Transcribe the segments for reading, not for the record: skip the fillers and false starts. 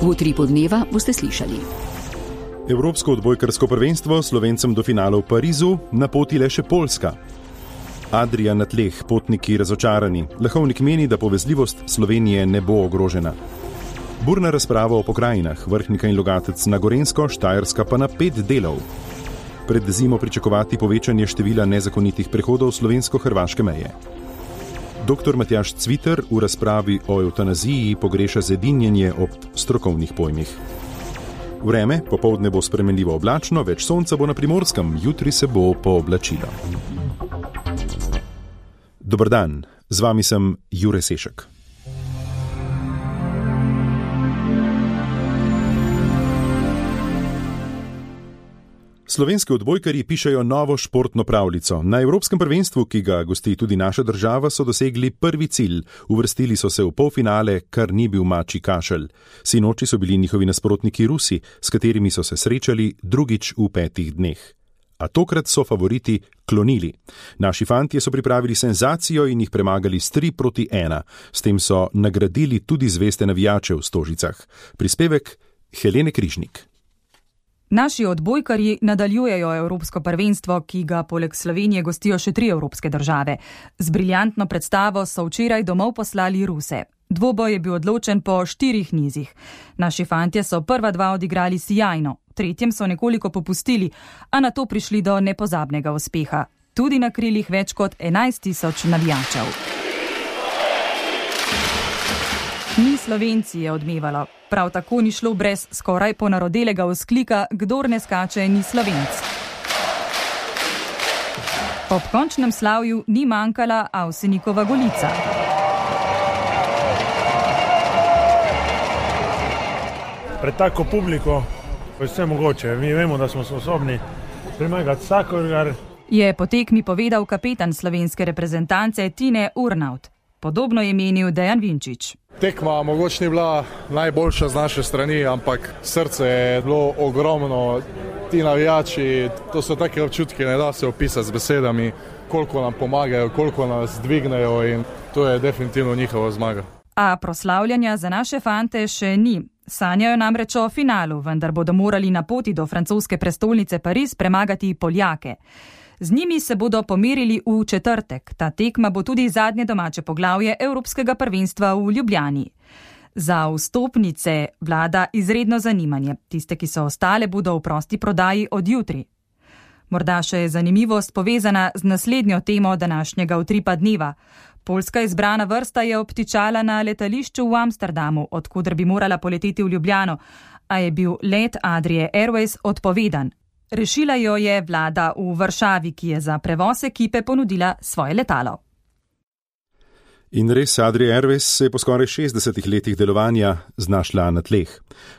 V Utripu dneva boste slišali. Evropsko odbojkarsko prvenstvo Slovencem do finala v Parizu, na poti le še Poljska. Adria na tleh, potniki razočarani. Lahovnik meni, da povezljivost Slovenije ne bo ogrožena. Burna razprava o pokrajinah, Vrhnika in Logatec na Gorenjsko, Štajerska pa na 5 delov. Pred zimo pričakovati povečanje števila nezakonitih prehodov slovensko-hrvaške meje. Dr. Matjaž Cviter v razpravi o evtanaziji pogreša zedinjenje ob strokovnih pojmih. Vreme, popoldne bo spremenljivo oblačno, več sonca bo na Primorskem, jutri se bo pooblačilo. Dober dan, z vami sem Jure Sešek. Slovenski odbojkarji pišejo novo športno pravljico. Na Evropskem prvenstvu, ki ga gosti tudi naša država, so dosegli prvi cilj. Uvrstili so se v polfinale, kar ni bil mačji kašelj. Sinoči so bili njihovi nasprotniki Rusi, s katerimi so se srečali drugič v 5 dneh. A tokrat so favoriti klonili. Naši fantje so pripravili senzacijo in jih premagali s 3-1. S tem so nagradili tudi zveste navijače v Stožicah. Prispevek Helene Križnik. Naši odbojkarji nadaljujejo Evropsko prvenstvo, ki ga poleg Slovenije gostijo še 3 evropske države. Z briljantno predstavo so včeraj domov poslali Ruse. Dvoboj je bil odločen po 4 nizih. Naši fantje so prva 2 odigrali sijajno, v tretjem so nekoliko popustili, a nato prišli do nepozabnega uspeha. Tudi na krilih več kot 11.000 navijačev. Ni Slovenci je odmevalo. Prav tako ni šlo brez skoraj ponarodelega vzklika, kdor ne skače, ni Slovenc. Ob končnem slavju ni manjkala Avsenikova golica. Pred tako publiko je vse mogoče. Mi vemo, da smo sposobni premagati vsakogar. Je po tekmi povedal kapetan slovenske reprezentance Tine Urnaut. Podobno je menil Dejan Vinčič. Tekma mogoče ni bila najboljša z naše strani, ampak srce je bilo ogromno. Ti navijači, to so take občutki, ne da se opisati z besedami, koliko nam pomagajo, koliko nas dvignejo in to je definitivno njihova zmaga. A proslavljanja za naše fante še ni. Sanjajo namreč o finalu, vendar bodo morali na poti do francoske prestolnice Pariz premagati Poljake. Z njimi se bodo pomerili v četrtek. Ta tekma bo tudi zadnje domače poglavje Evropskega prvenstva v Ljubljani. Za vstopnice vlada izredno zanimanje. Tiste, ki so ostale, bodo v prosti prodaji od jutri. Morda še je zanimivost povezana z naslednjo temo današnjega Utripa dneva. Poljska izbrana vrsta je obtičala na letališču v Amsterdamu, odkuder bi morala poleteti v Ljubljano, a je bil let Adrie Airways odpovedan. Rešila jo je vlada v Varšavi, ki je za prevoz ekipe ponudila svoje letalo. In res, Adria Airways se je po skoraj 60 letih delovanja znašla na tleh.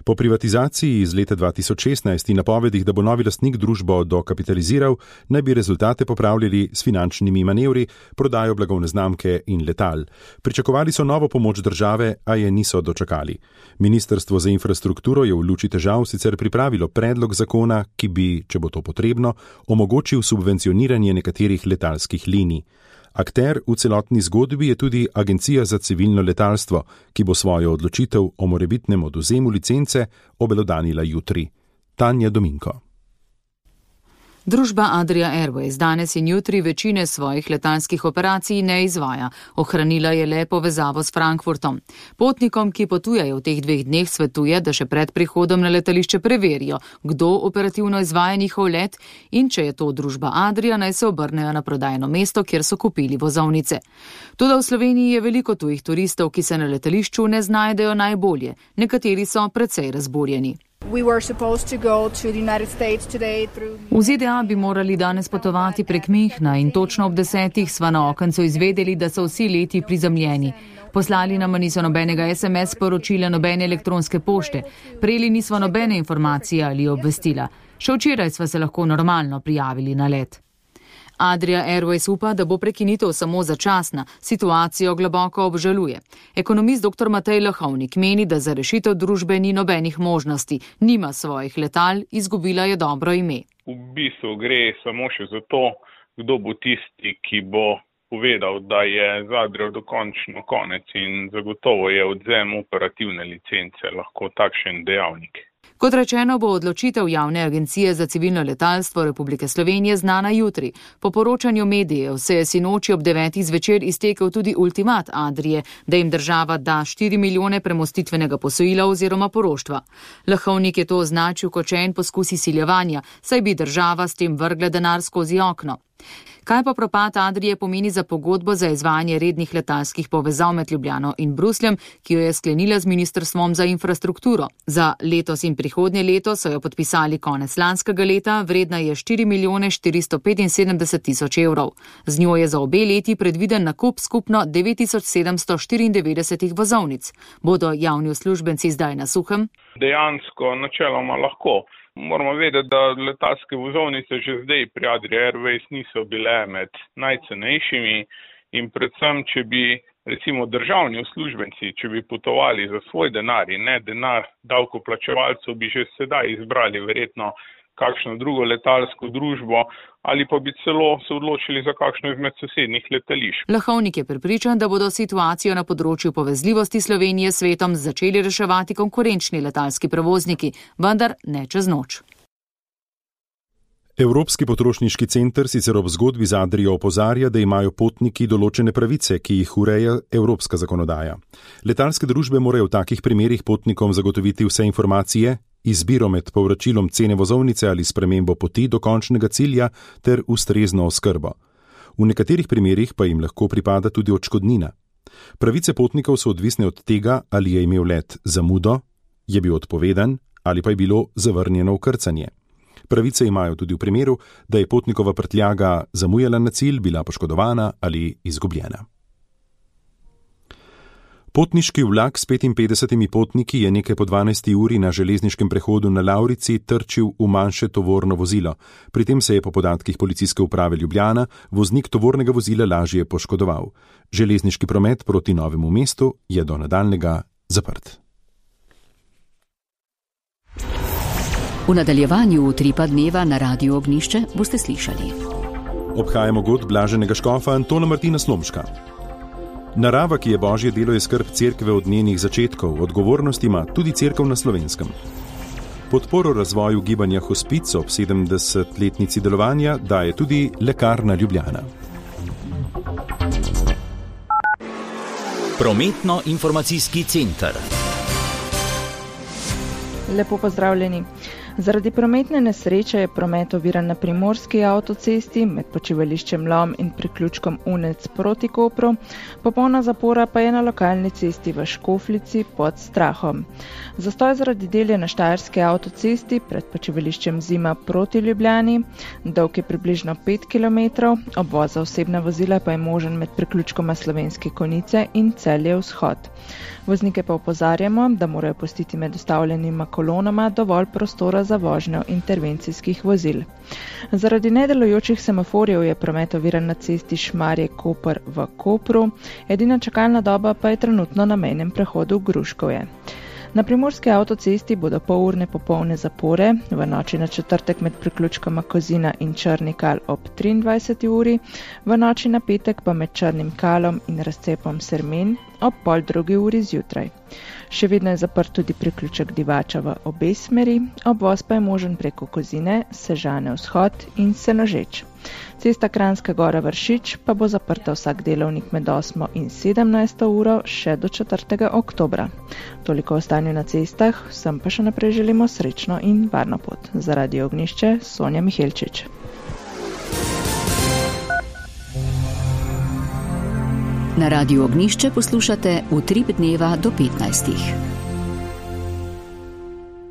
Po privatizaciji iz leta 2016 in napovedih, da bo novi lastnik družbo dokapitaliziral, naj bi rezultate popravljali s finančnimi manevri, prodajo blagovne znamke in letal. Pričakovali so novo pomoč države, a je niso dočakali. Ministrstvo za infrastrukturo je v luči težav sicer pripravilo predlog zakona, ki bi, če bo to potrebno, omogočil subvencioniranje nekaterih letalskih linij. Akter v celotni zgodbi je tudi Agencija za civilno letalstvo, ki bo svojo odločitev o morebitnem odvzemu licence obelodanila jutri. Tanja Dominko. Družba Adria Airways danes in jutri večine svojih letalskih operacij ne izvaja. Ohranila je le povezavo s Frankfurtom. Potnikom, ki potujejo v teh 2 dneh, svetuje, da še pred prihodom na letališče preverijo, kdo operativno izvaja njihov let in če je to družba Adria, naj se obrnejo na prodajno mesto, kjer so kupili vozovnice. Toda v Sloveniji je veliko tujih turistov, ki se na letališču ne znajdejo najbolje. Nekateri so precej razburjeni. V ZDA bi morali danes potovati prek Münchna in točno ob 10. sva na okencu izvedeli, da so vsi leti prizemljeni. Poslali nam niso nobenega SMS sporočila, nobene elektronske pošte. Prejeli nismo nobene informacije ali obvestila. Še včeraj sva se lahko normalno prijavili na let. Adria Airways upa, da bo prekinitev samo začasna, situacijo globoko obžaluje. Ekonomist dr. Matej Lahovnik meni, da za rešitev družbe ni nobenih možnosti, nima svojih letal, izgubila je dobro ime. V bistvu gre samo še za to, kdo bo tisti, ki bo povedal, da je z Adrio dokončno konec in zagotovo je odvzem operativne licence lahko takšen dejavnik. Kot rečeno, bo odločitev Javne agencije za civilno letalstvo Republike Slovenije znana jutri. Po poročanju medijev se je sinoči ob 9. zvečer iztekel tudi ultimat Adrie, da jim država da 4 milijone premostitvenega posojila oziroma poroštva. Lahovnik je to označil kot še en poskus izsiljevanja, saj bi država s tem vrgla denar skozi okno. Kaj pa propad Adrie pomeni za pogodbo za izvajanje rednih letalskih povezav med Ljubljano in Brusljem, ki jo je sklenila z Ministrstvom za infrastrukturo? Za letos in prihodnje leto so jo podpisali konec lanskega leta, vredna je 4 milijone 475 tisoč evrov. Z njo je za obe leti predviden nakup skupno 9794 vozovnic. Bodo javni uslužbenci zdaj na suhem? Dejansko načeloma lahko. Moramo vedeti, da letalske vozovnice že zdaj pri Adria Airways niso bile med najcenejšimi in predvsem, če bi recimo državni uslužbenci, če bi potovali za svoj denar in ne denar davkoplačevalcev, bi že sedaj izbrali verjetno kakšno drugo letalsko družbo ali pa bi celo se odločili za kakšno izmed sosednjih letališč. Lahovnik je prepričan, da bodo situacijo na področju povezljivosti Slovenije s svetom začeli reševati konkurenčni letalski prevozniki, vendar ne čez noč. Evropski potrošniški center sicer ob zgodbi z Adrio opozarja, da imajo potniki določene pravice, ki jih ureja evropska zakonodaja. Letalske družbe morajo v takih primerih potnikom zagotoviti vse informacije, izbiro med povračilom cene vozovnice ali spremembo poti do končnega cilja ter ustrezno oskrbo. V nekaterih primerih pa jim lahko pripada tudi odškodnina. Pravice potnikov so odvisne od tega, ali je imel let zamudo, je bil odpovedan ali pa je bilo zavrnjeno vkrcanje. Pravice imajo tudi v primeru, da je potnikova prtljaga zamujala na cilj, bila poškodovana ali izgubljena. Potniški vlak s 55 potniki je nekaj po 12. uri na železniškem prehodu na Lavrici trčil v manjše tovorno vozilo. Pri tem se je po podatkih policijske uprave Ljubljana voznik tovornega vozila lažje poškodoval. Železniški promet proti Novemu mestu je do nadaljnjega zaprt. V nadaljevanju Utripa dneva na Radiu Ognjišče boste slišali. Obhajamo god blaženega škofa Antona Martina Slomška. Narava, ki je božje delo, je skrb cerkve od njenih začetkov, odgovornost ima tudi cerkev na Slovenskem. Podporo razvoju gibanja Hospic ob 70-letnici delovanja daje tudi Lekarna Ljubljana. Prometno-informacijski center. Lepo pozdravljeni. Zaradi prometne nesreče je promet oviran na primorski avtocesti med počivališčem Lom in priključkom Unec proti Kopru, popolna zapora pa je na lokalni cesti v Škoflici pod Strahom. Zastoj zaradi del je na štajerski avtocesti pred počivališčem Zima proti Ljubljani, dolg je približno 5 km, obvoz za osebna vozila pa je možen med priključkoma Slovenske Konjice in Celje Vzhod. Voznike pa opozarjamo, da morajo pustiti med ustavljenima kolonama dovolj prostora za vožnjo intervencijskih vozil. Zaradi nedelujočih semaforjev je promet oviran na cesti Šmarje-Koper v Kopru, edina čakalna doba pa je trenutno na mejnem prehodu Gruškovje. Na primorski avtocesti bodo polurne popolne zapore, v noči na četrtek med priključkoma Kozina in Črni Kal ob 23. uri, v noči na petek pa med Črnim Kalom in razcepom Sermen ob 1:30 uri zjutraj. Še vedno je zaprt tudi priključek Divača v obe smeri, obvoz pa je možen preko Kozine, Sežane Vzhod in Senožeč. Cesta Kranjska Gora Vršič pa bo zaprta vsak delovnik med 8. in 17. uro še do 4. oktobra. Toliko o stanju na cestah, vsem pa še naprej želimo srečno in varno pot. Za Radio Ognjišče, Sonja Mihelčič. Na Radiu Ognjišče poslušate Utrip dneva do 15.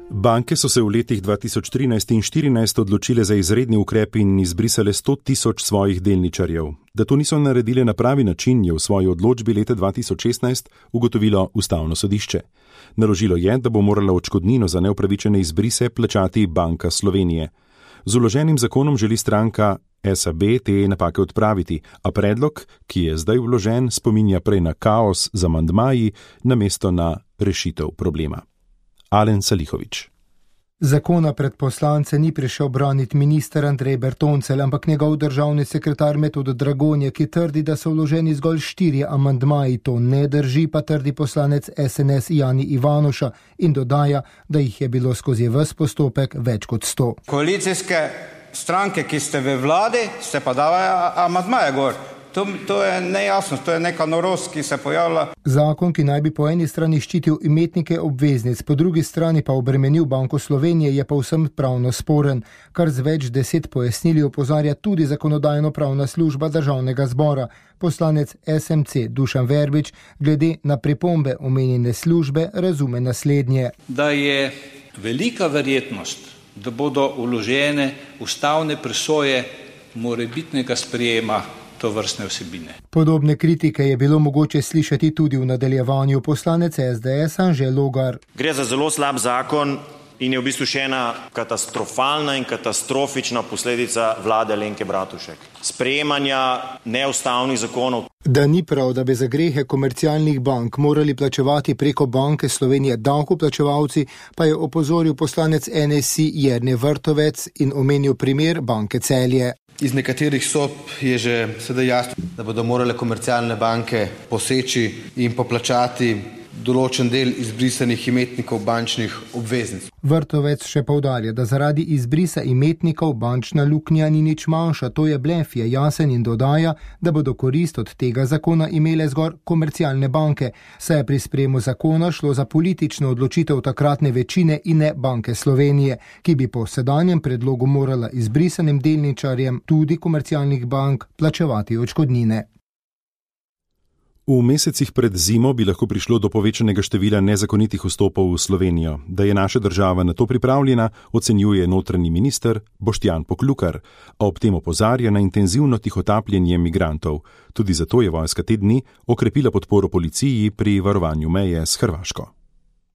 Banke so se v letih 2013 in 2014 odločile za izredni ukrep in izbrisale 100 000 svojih delničarjev. Da to niso naredile na pravi način, je v svoji odločbi leta 2016 ugotovilo Ustavno sodišče. Naložilo je, da bo morala odškodnino za neupravičene izbrise plačati Banka Slovenije. Z vloženim zakonom želi stranka SAB te napake odpraviti, a predlog, ki je zdaj vložen, spominja prej na kaos z amandmaji namesto na rešitev problema. Alen Salihović. Zakona pred poslance ni prišel braniti minister Andrej Bertoncelj, ampak njegov državni sekretar Metod Dragonja, ki trdi, da so vloženi zgolj 4 amandmaji. To ne drži, pa trdi poslanec SNS Jani Ivanuša in dodaja, da jih je bilo skozi ves postopek več kot 100. Koalicijske stranke, ki ste v vladi, ste pa davajo amandmaje gor. To je nejasnost, to je neka norost, ki se pojavlja. Zakon, ki naj bi po eni strani ščitil imetnike obveznic, po drugi strani pa obremenil Banko Slovenije, je povsem pravno sporen, kar z več 10 pojasnili opozarja tudi Zakonodajno-pravna služba Državnega zbora. Poslanec SMC Dušan Verbič glede na pripombe omenjene službe razume naslednje. Da je velika verjetnost, da bodo vložene ustavne presoje morebitnega sprejema to vrstne vsebine. Podobne kritike je bilo mogoče slišati tudi v nadaljevanju. Poslanec SDS Anže Logar. Gre za zelo slab zakon in je v bistvu še ena katastrofalna in katastrofična posledica vlade Alenke Bratušek. Sprejemanja neustavnih zakonov. Da ni prav, da bi za grehe komercialnih bank morali plačevati preko Banke Slovenije davkoplačevalci, pa je opozoril poslanec NSI Jernej Vrtovec in omenil primer Banke Celje. Iz nekaterih sob je že sedaj jasno, da bodo morale komercialne banke poseči in poplačati določen del izbrisanih imetnikov bančnih obveznic. Vrtovec še poudarja, da zaradi izbrisa imetnikov bančna luknja ni nič manjša, to je blef, je jasen in dodaja, da bodo korist od tega zakona imele zgolj komercialne banke, saj je pri sprejemu zakona šlo za politično odločitev takratne večine in ne Banke Slovenije, ki bi po sedanjem predlogu morala izbrisanim delničarjem tudi komercialnih bank plačevati odškodnine. V mesecih pred zimo bi lahko prišlo do povečanega števila nezakonitih vstopov v Slovenijo. Da je naša država na to pripravljena, ocenjuje notranji minister Boštjan Poklukar, a ob tem opozarja na intenzivno tihotapljenje migrantov. Tudi zato je vojska te dni okrepila podporo policiji pri varovanju meje s Hrvaško.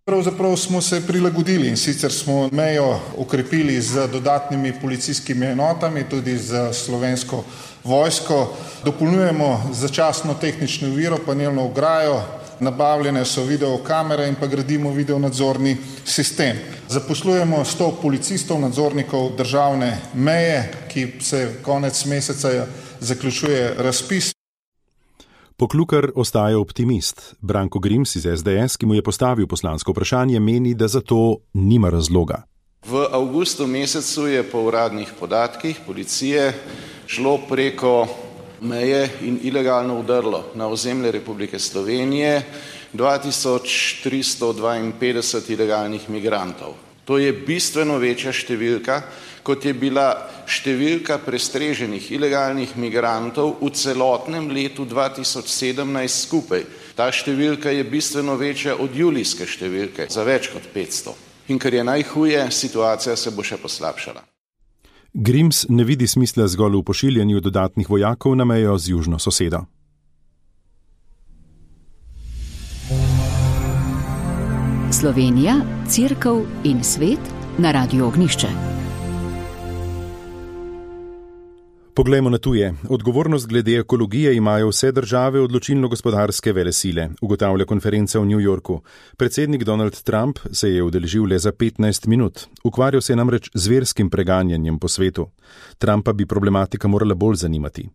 Pravzaprav smo se prilagodili in sicer smo mejo okrepili z dodatnimi policijskimi enotami, tudi z slovensko vojsko. Dopolnjujemo začasno tehnično oviro, panelno ograjo, nabavljene so videokamere in pa gradimo videonadzorni sistem. Zaposlujemo 100 policistov, nadzornikov državne meje, ki se konec meseca zaključuje razpis. Poklukar ostaja optimist. Branko Grims iz SDS, ki mu je postavil poslansko vprašanje, meni, da za to nima razloga. V avgustu mesecu je po uradnih podatkih policije šlo preko meje in ilegalno vdrlo na ozemlje Republike Slovenije 2352 ilegalnih migrantov. To je bistveno večja številka, kot je bila številka prestreženih ilegalnih migrantov v celotnem letu 2017 skupaj. Ta številka je bistveno večja od julijske številke, za več kot 500. In kar je najhuje, situacija se bo še poslabšala. Grims ne vidi smisla zgolj v pošiljanju dodatnih vojakov na mejo z južno sosedo. Slovenija, Cerkev in svet na Radiu Ognjišče. Poglejmo na tuje. Odgovornost glede ekologije imajo vse države odločilno-gospodarske velesile, ugotavlja konferenca v New Yorku. Predsednik Donald Trump se je udeležil le za 15 minut. Ukvarjal se je namreč z verskim preganjanjem po svetu. Trumpa bi problematika morala bolj zanimati.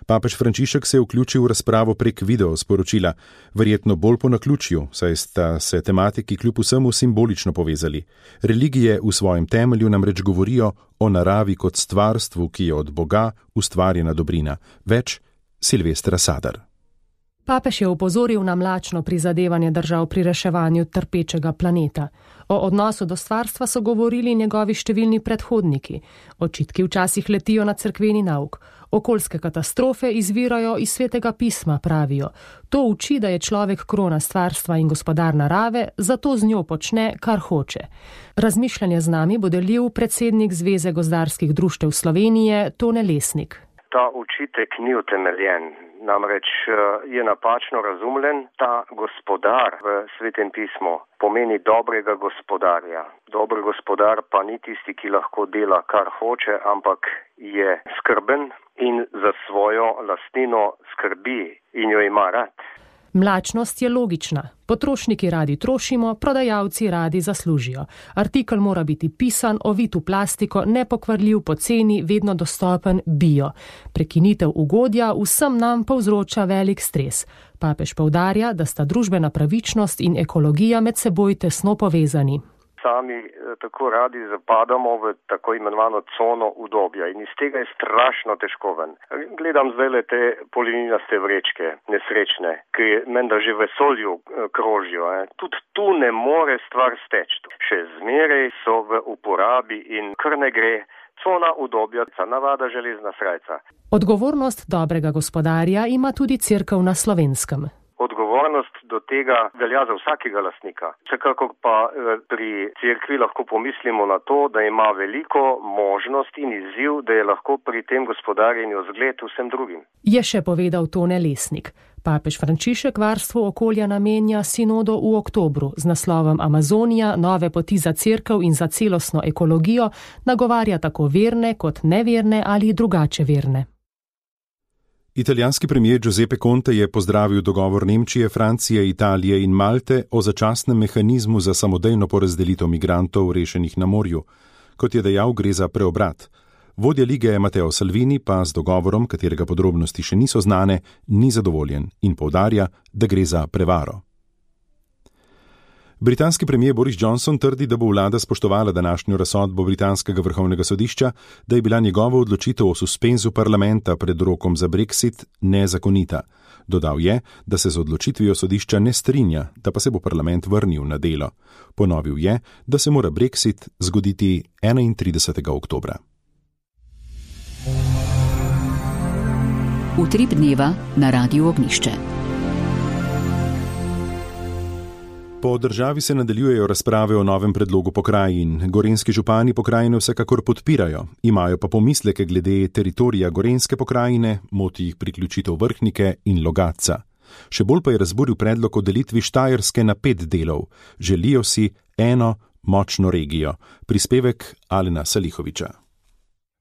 Papež Frančišek se je vključil v razpravo prek video sporočila, verjetno bolj po naključju, saj sta se tematiki kljub vsemu simbolično povezali. Religije v svojem temelju namreč govorijo o naravi kot stvarstvu, ki je od Boga ustvarjena dobrina. Več Silvestra Sadar. Papež je opozoril na mlačno prizadevanje držav pri reševanju trpečega planeta. O odnosu do stvarstva so govorili njegovi številni predhodniki. Očitki včasih letijo na cerkveni nauk. Okoljske katastrofe izvirajo iz svetega pisma, pravijo. To uči, da je človek krona stvarstva in gospodar narave, zato z njo počne, kar hoče. Razmišljanje z nami bo delil predsednik Zveze gozdarskih društev Slovenije, Tone Lesnik. Ta očitek ni utemeljen, namreč je napačno razumljen. Ta gospodar v svetem pismu pomeni dobrega gospodarja. Dober gospodar pa ni tisti, ki lahko dela, kar hoče, ampak je skrben in za svojo lastnino skrbi in jo ima rad. Mlačnost je logična. Potrošniki radi trošimo, prodajalci radi zaslužijo. Artikel mora biti pisan, ovit v plastiko, nepokvarljiv, poceni, vedno dostopen, bio. Prekinitev ugodja vsem nam povzroča velik stres. Papež poudarja, da sta družbena pravičnost in ekologija med seboj tesno povezani. Sami tako radi zapadamo v tako imenovano cono udobja in iz tega je strašno težko ven. Gledam zdaj te polininaste vrečke, nesrečne, ki menda že v vesolju krožijo. Tudi tu ne more stvar steči. Še zmeraj so v uporabi in kar ne gre. Cona udobja, navada železna srajca. Odgovornost dobrega gospodarja ima tudi cerkev na Slovenskem. Odgovornost do tega velja za vsakega lastnika. Vsekakor pa pri cerkvi lahko pomislimo na to, da ima veliko možnost in izziv, da je lahko pri tem gospodarjenju zgled vsem drugim. Je še povedal Tone Lesnik. Papež Frančišek varstvu okolja namenja sinodo v oktobru z naslovom Amazonija, nove poti za cerkev in za celostno ekologijo, nagovarja tako verne kot neverne ali drugače verne. Italijanski premijer Giuseppe Conte je pozdravil dogovor Nemčije, Francije, Italije in Malte o začasnem mehanizmu za samodejno porazdelitev migrantov rešenih na morju. Kot je dejal, gre za preobrat. Vodja lige Matteo Salvini pa z dogovorom, katerega podrobnosti še niso znane, ni zadovoljen in poudarja, da gre za prevaro. Britanski premijer Boris Johnson trdi, da bo vlada spoštovala današnjo razsodbo britanskega vrhovnega sodišča, da je bila njegova odločitev o suspenzu parlamenta pred rokom za Brexit nezakonita. Dodal je, da se z odločitvijo sodišča ne strinja, da pa se bo parlament vrnil na delo. Ponovil je, da se mora Brexit zgoditi 31. oktobra. Utrip dneva na Radiu Ognjišče. Po državi se nadaljujejo razprave o novem predlogu pokrajin. Gorenjski župani pokrajine vsekakor podpirajo, imajo pa pomisleke glede teritorija Gorenjske pokrajine, moti jih priključitev Vrhnike in Logatca. Še bolj pa je razburil predlog o delitvi Štajerske na 5 delov. Želijo si eno močno regijo. Prispevek Alena Salihoviča.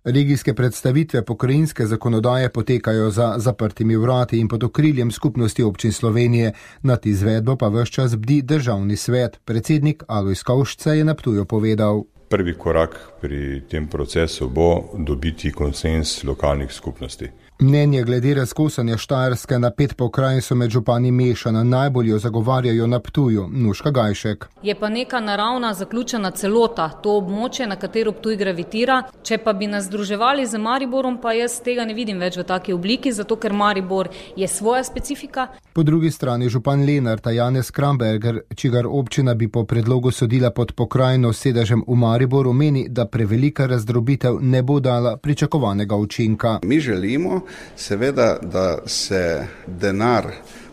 Regijske predstavitve pokrajinske zakonodaje potekajo za zaprtimi vrati in pod okriljem Skupnosti občin Slovenije, nad izvedbo pa ves čas bdi državni svet. Predsednik Alojz Kovšca je na Ptuju povedal. Prvi korak pri tem procesu bo dobiti konsenz lokalnih skupnosti. Mnenje glede razkosanja Štajerske na 5 pokrajin so med župani mešana, najbolj jo zagovarjajo na Ptuju. Nuška Gajšek. Je pa neka naravna zaključena celota, to območje, na katero Ptuj gravitira. Če pa bi nas združevali z Mariborom, pa jaz tega ne vidim več v taki obliki, zato ker Maribor je svoja specifika. Po drugi strani župan Lenart Janez Kramberger, čigar občina bi po predlogu sodila pod pokrajino s sedežem v Mariboru, meni, da prevelika razdrobitev ne bo dala pričakovanega učinka. Mi želimo seveda, da se denar,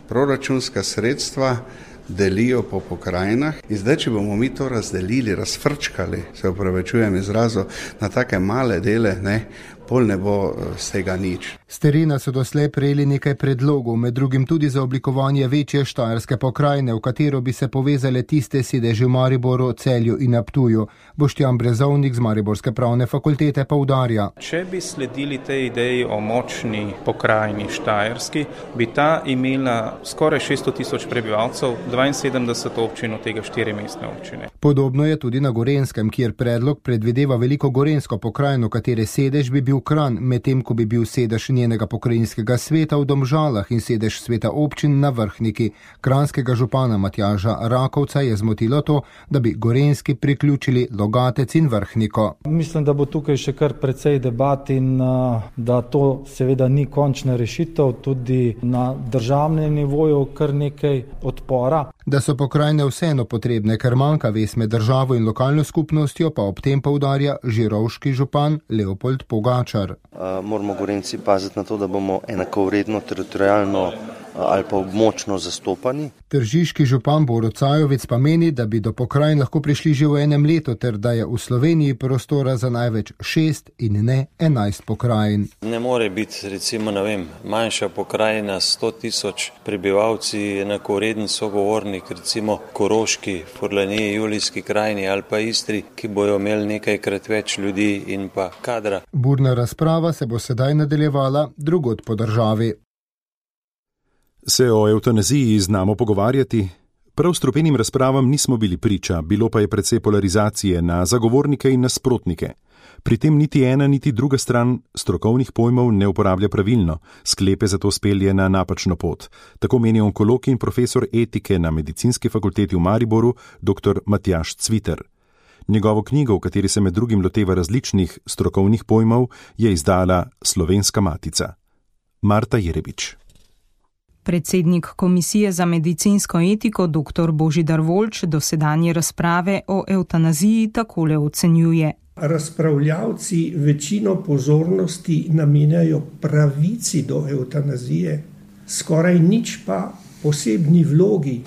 proračunska sredstva delijo po pokrajinah in zdaj, če bomo mi to razdelili, razfrčkali, se opravičujem izrazu, na take male dele, pol ne bo z tega nič. S terena so doslej prejeli nekaj predlogov, med drugim tudi za oblikovanje večje štajerske pokrajine, v katero bi se povezale tiste sedeži v Mariboru, Celju in na Ptuju. Boštjan Brezovnik z Mariborske pravne fakultete poudarja. Če bi sledili tej ideji o močni pokrajini štajerski, bi ta imela skoraj 600 000 prebivalcev, 72 občin, od tega 4 mestne občine. Podobno je tudi na Gorenjskem, kjer predlog predvideva veliko gorenjsko pokrajino, katere sedež bi bil Kranj, medtem ko bi bil sedež njenega pokrajinskega sveta v Domžalah in sedež sveta občin na Vrhniki. Kranjskega župana Matjaža Rakovca je zmotilo to, da bi Gorenjski priključili Logatec in Vrhniko. Mislim, da bo tukaj še kar precej debat in da to seveda ni končna rešitev, tudi na državnem nivoju kar nekaj odpora. Da so pokrajine vseeno potrebne, ker manjka vez med državo in lokalno skupnostjo, pa ob tem poudarja žirovški župan Leopold Pogačar. Moramo Gorenjci paziti na to, da bomo enakovredno teritorijalno ali pa območno zastopani. Tržiški župan Borut Cajovic pa meni, da bi do pokrajin lahko prišli že v enem letu, ter da je v Sloveniji prostora za največ 6 in ne 11 pokrajin. Ne more biti, recimo, manjša pokrajina 100 000 prebivalci, enakovreden sogovornik, recimo Koroški, Furlaniji, Julijski krajini ali pa Istri, ki bojo imeli nekajkrat več ljudi in pa kadra. Burna razprava se bo sedaj nadaljevala drugod po državi. Se o evtanaziji znamo pogovarjati? Prav strupenim razpravam nismo bili priča, bilo pa je precej polarizacije na zagovornike in nasprotnike. Pri tem niti ena niti druga stran strokovnih pojmov ne uporablja pravilno, sklepe zato spelje na napačno pot. Tako meni onkolog in profesor etike na Medicinski fakulteti v Mariboru, dr. Matjaž Cviter. Njegovo knjigo, v kateri se med drugim loteva različnih strokovnih pojmov, je izdala Slovenska matica. Marta Jerebič. Predsednik Komisije za medicinsko etiko dr. Božidar Volč dosedanje razprave o evtanaziji takole ocenjuje. Razpravljavci večino pozornosti namenjajo pravici do evtanazije, skoraj nič pa posebni vlogi,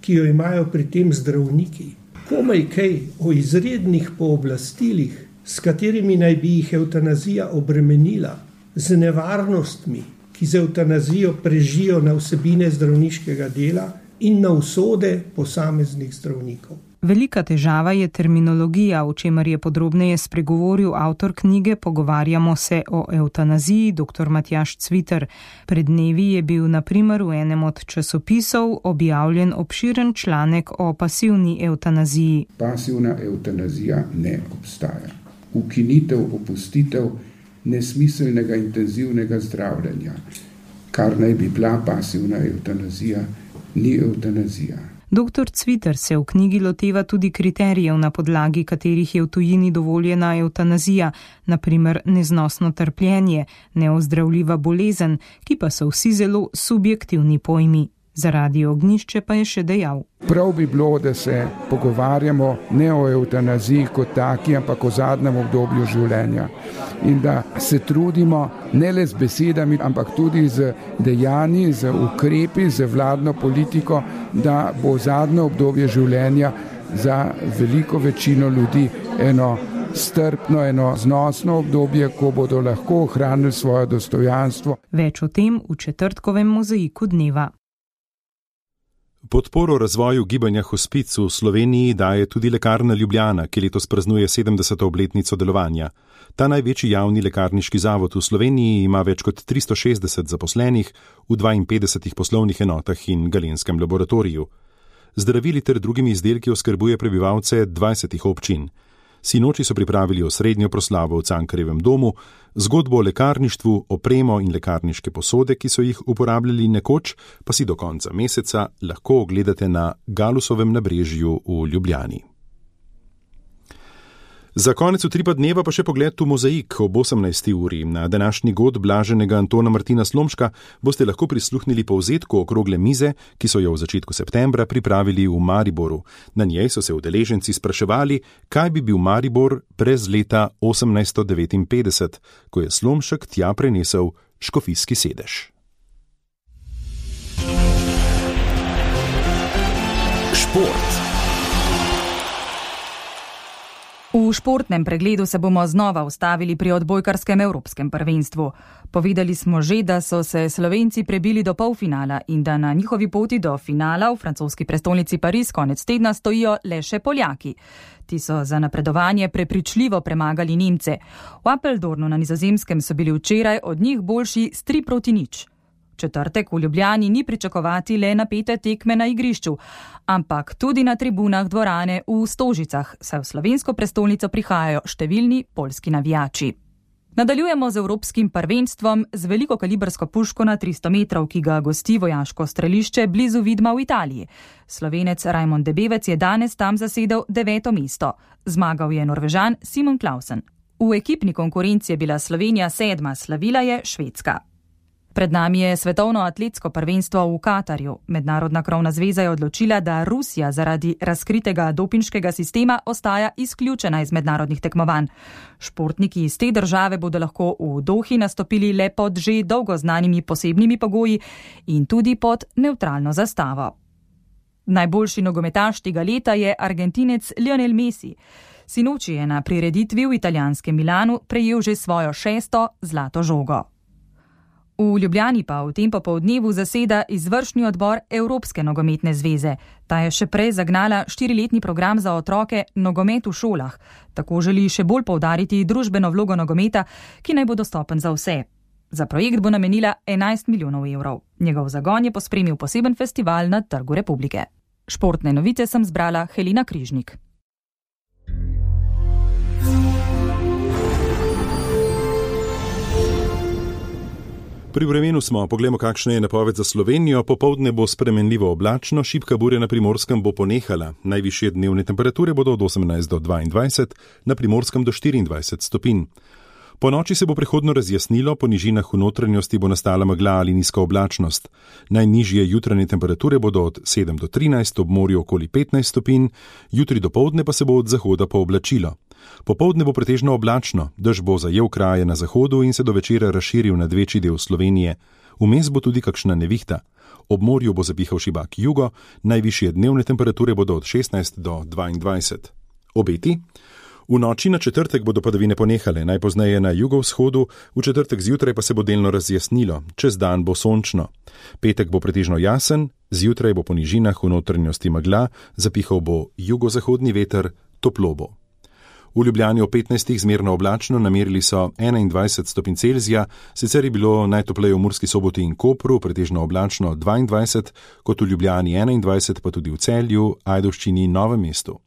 ki jo imajo pri tem zdravniki. Komaj kaj o izrednih pooblastilih, s katerimi naj bi jih evtanazija obremenila, z nevarnostmi, ki z evtanazijo prežijo na vsebine zdravniškega dela in na usode posameznih zdravnikov. Velika težava je terminologija, o čemer je podrobneje spregovoril avtor knjige Pogovarjamo se o evtanaziji, dr. Matjaž Cviter. Pred dnevi je bil na primer v enem od časopisov objavljen obširen članek o pasivni evtanaziji. Pasivna evtanazija ne obstaja. Ukinitev, opustitev nesmiselnega intenzivnega zdravljenja, kar naj bi bila pasivna evtanazija, ni evtanazija. Dr. Cviter se v knjigi loteva tudi kriterijev, na podlagi katerih je v tujini dovoljena evtanazija, na primer neznosno trpljenje, neozdravljiva bolezen, ki pa so vsi zelo subjektivni pojmi. Zaradi Ognišče pa je še dejal. Prav bi bilo, da se pogovarjamo ne o evtanaziji kot taki, ampak o zadnjem obdobju življenja. In da se trudimo ne le z besedami, ampak tudi z dejanji, z ukrepi, z vladno politiko, da bo zadnje obdobje življenja za veliko večino ljudi eno strpno, eno znosno obdobje, ko bodo lahko ohranili svoje dostojanstvo. Več o tem v četrtkovem mozaiku dneva. Podporo razvoju gibanja Hospic v Sloveniji daje tudi Lekarna Ljubljana, ki letos praznuje 70. obletnico delovanja. Ta največji javni lekarniški zavod v Sloveniji ima več kot 360 zaposlenih v 52 poslovnih enotah in galenskem laboratoriju. Zdravili ter drugimi izdelki oskrbuje prebivalce 20 občin. Sinoči so pripravili osrednjo proslavo v Cankarjevem domu, zgodbo o lekarništvu, opremo in lekarniške posode, ki so jih uporabljali nekoč, pa si do konca meseca lahko ogledate na Galusovem nabrežju v Ljubljani. Za konec utripa dneva pa še pogled v mozaik ob 18. uri. Na današnji god blaženega Antona Martina Slomška boste lahko prisluhnili povzetku okrogle mize, ki so jo v začetku septembra pripravili v Mariboru. Na njej so se udeleženci spraševali, kaj bi bil Maribor brez leta 1859, ko je Slomšek tja prenesel škofijski sedež. Šport. V športnem pregledu se bomo znova ustavili pri odbojkarskem evropskem prvenstvu. Povedali smo že, da so se Slovenci prebili do polfinala in da na njihovi poti do finala v francoski prestolnici Pariz konec tedna stojijo le še Poljaki. Ti so za napredovanje prepričljivo premagali Nemce. V Appeldornu na Nizozemskem so bili včeraj od njih boljši s 3-0. Četrtek v Ljubljani ni pričakovati le napete tekme na igrišču, ampak tudi na tribunah dvorane v Stožicah, saj v slovensko prestolnico prihajajo številni poljski navijači. Nadaljujemo z evropskim prvenstvom z velikokalibrsko puško na 300 metrov, ki ga gosti vojaško strelišče blizu Vidma v Italiji. Slovenec Rajmond Debevec je danes tam zasedel 9. mesto. Zmagal je Norvežan Simon Clausen. V ekipni konkurenci je bila Slovenija 7., slavila je Švedska. Pred nami je svetovno atletsko prvenstvo v Katarju. Mednarodna krovna zveza je odločila, da Rusija zaradi razkritega dopinškega sistema ostaja izključena iz mednarodnih tekmovanj. Športniki iz te države bodo lahko v Dohi nastopili le pod že dolgo znanimi posebnimi pogoji in tudi pod nevtralno zastavo. Najboljši nogometaš tega leta je Argentinec Lionel Messi. Sinoči je na prireditvi v italijanskem Milanu prejel že svojo 6. zlato žogo. V Ljubljani pa v tem popoldnevu zaseda izvršni odbor Evropske nogometne zveze. Ta je še prej zagnala 4-letni program za otroke Nogomet v šolah. Tako želi še bolj poudariti družbeno vlogo nogometa, ki naj bo dostopen za vse. Za projekt bo namenila 11 milijonov evrov. Njegov zagon je pospremil poseben festival na Trgu Republike. Športne novice sem zbrala Helena Križnik. Pri vremenu smo, poglejmo, kakšna je napoved za Slovenijo. Popoldne bo spremenljivo oblačno, šibka burja na Primorskem bo ponehala. Najvišje dnevne temperature bodo od 18 do 22, na Primorskem do 24 stopinj. Po noči se bo prehodno razjasnilo, po nižinah v notranjosti bo nastala megla ali nizka oblačnost. Najnižje jutranje temperature bodo od 7 do 13, ob morju okoli 15 stopinj, jutri dopoldne pa se bo od zahoda pooblačilo. Popoldne bo pretežno oblačno, dež bo zajel kraje na zahodu in se do večera razširil nad večji del Slovenije. Vmes bo tudi kakšna nevihta. Ob morju bo zapihal šibak jugo, najvišje dnevne temperature bodo od 16 do 22. Obeti? V noči na četrtek bodo padavine ponehale, najpozneje na jugovzhodu, v četrtek zjutraj pa se bo delno razjasnilo, čez dan bo sončno. Petek bo pretežno jasen, zjutraj bo po nižinah v notranjosti megla, zapihal bo jugozahodni veter, toplo bo. V Ljubljani o 15 zmerno oblačno, namerili so 21 stopinj Celzija, sicer je bilo najtopleje v Murski Soboti in Kopru, pretežno oblačno 22, kot v Ljubljani 21, pa tudi v Celju, Ajdovščini in Novem mestu.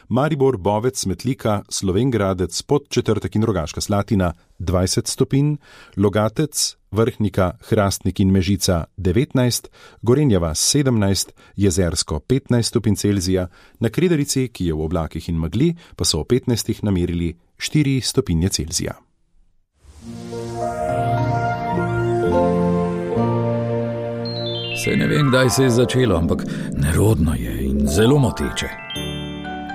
Maribor, Bovec, Metlika, Slovenj Gradec, Podčetrtek in Rogaška Slatina 20 stopinj, Logatec, Vrhnika, Hrastnik in Mežica 19, Gorenja vas 17, Jezersko 15 stopinj Celzija, na Kredarici, ki je v oblakih in megli, pa so o 15 namerili 4 stopinje Celzija. Saj ne vem, kdaj se je začelo, ampak nerodno je in zelo moteče.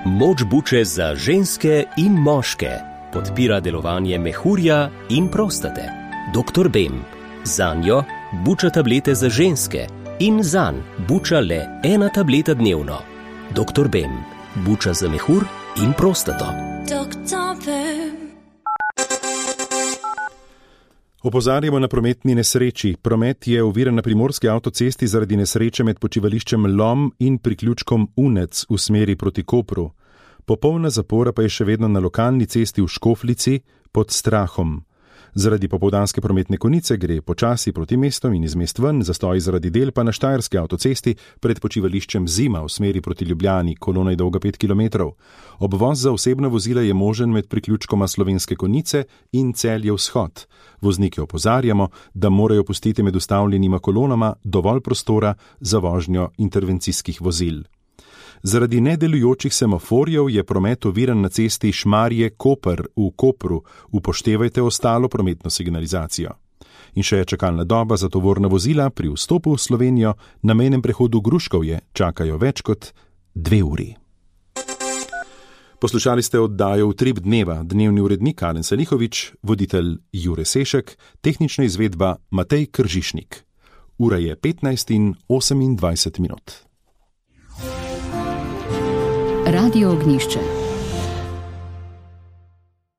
Moč buče za ženske in moške podpira delovanje mehurja in prostate. Dr. Bem. Zanjo buča tablete za ženske in zanj buča le 1 tableta dnevno. Dr. Bem. Buča za mehur in prostato. Dr. Bem. Opozarjamo na prometni nesreči. Promet je oviran na primorski avtocesti zaradi nesreče med počivališčem Lom in priključkom Unec v smeri proti Kopru. Popolna zapora pa je še vedno na lokalni cesti v Škoflici pod Strahom. Zaradi popoldanske prometne konice gre počasi proti mestom in iz mest ven, zastoj zaradi del pa na štajerski avtocesti pred počivališčem Zima v smeri proti Ljubljani, kolona je dolga 5 km. Obvoz za osebna vozila je možen med priključkoma Slovenske Konjice in Celje vzhod. Voznike opozarjamo, da morajo pustiti med ustavljenima kolonama dovolj prostora za vožnjo intervencijskih vozil. Zaradi nedelujočih semaforjev je promet oviran na cesti Šmarje-Koper v Kopru. Upoštevajte ostalo prometno signalizacijo. In še je čakalna doba za tovorna vozila pri vstopu v Slovenijo na mejnem prehodu Gruškovje čakajo več kot 2 uri. Poslušali ste oddajo Utrip dneva, dnevni urednik Alen Salihovič, voditelj Jure Sešek, tehnična izvedba Matej Kržišnik. Ura je 15:28. Radio Ognjišče.